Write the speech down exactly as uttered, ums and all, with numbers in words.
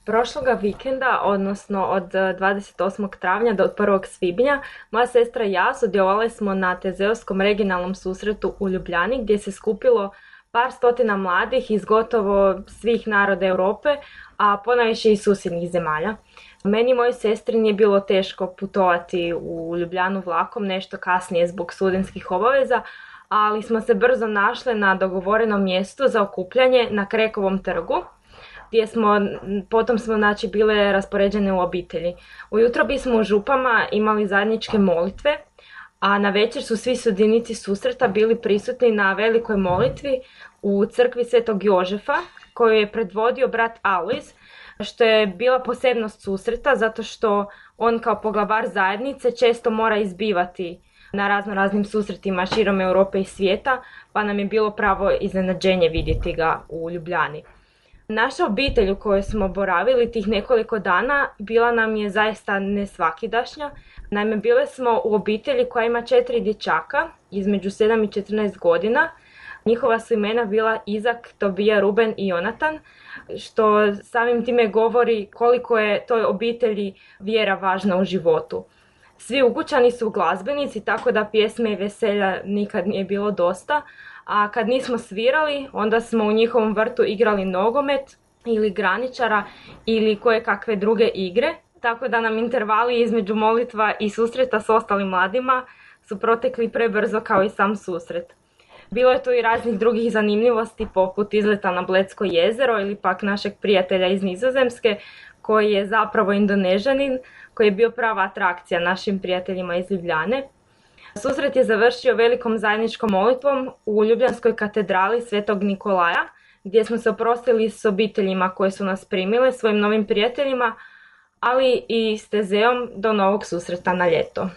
Prošloga vikenda, odnosno od dvadeset osmog travnja do prvog svibnja, moja sestra i ja sudjelovali smo na Tezeovskom regionalnom susretu u Ljubljani gdje se skupilo par stotina mladih iz gotovo svih naroda Europe, a ponajviše iz susjednih zemalja. Meni i mojoj sestri nije bilo teško putovati u Ljubljanu vlakom, nešto kasnije zbog studentskih obaveza, ali smo se brzo našle na dogovorenom mjestu za okupljanje na Krekovom trgu, gdje smo, potom smo znači bile raspoređene u obitelji. Ujutro bismo u župama imali zajedničke molitve, a na večer su svi sudionici susreta bili prisutni na velikoj molitvi u crkvi Svetog Jožefa, koju je predvodio brat Alojz, što je bila posebnost susreta zato što on kao poglavar zajednice često mora izbivati na razno raznim susretima širom Europe i svijeta, pa nam je bilo pravo iznenađenje vidjeti ga u Ljubljani. Naša obitelj u kojoj smo boravili tih nekoliko dana bila nam je zaista nesvakidašnja. Naime, bile smo u obitelji koja ima četiri dječaka između sedam i četrnaest godina. Njihova su imena bila Izak, Tobija, Ruben i Jonatan, što samim time govori koliko je toj obitelji vjera važna u životu. Svi ukućani su glazbenici, tako da pjesme i veselja nikad nije bilo dosta, a kad nismo svirali, onda smo u njihovom vrtu igrali nogomet ili graničara ili koje kakve druge igre, tako da nam intervali između molitva i susreta s ostalim mladima su protekli prebrzo kao i sam susret. Bilo je tu i raznih drugih zanimljivosti poput izleta na Bledsko jezero ili pak našeg prijatelja iz Nizozemske koji je zapravo Indonežanin, koji je bio prava atrakcija našim prijateljima iz Ljubljane. Susret je završio velikom zajedničkom molitvom u Ljubljanskoj katedrali Svetog Nikolaja, gdje smo se oprostili s obiteljima koje su nas primile, svojim novim prijateljima, ali i s Tezeom do novog susreta na ljeto.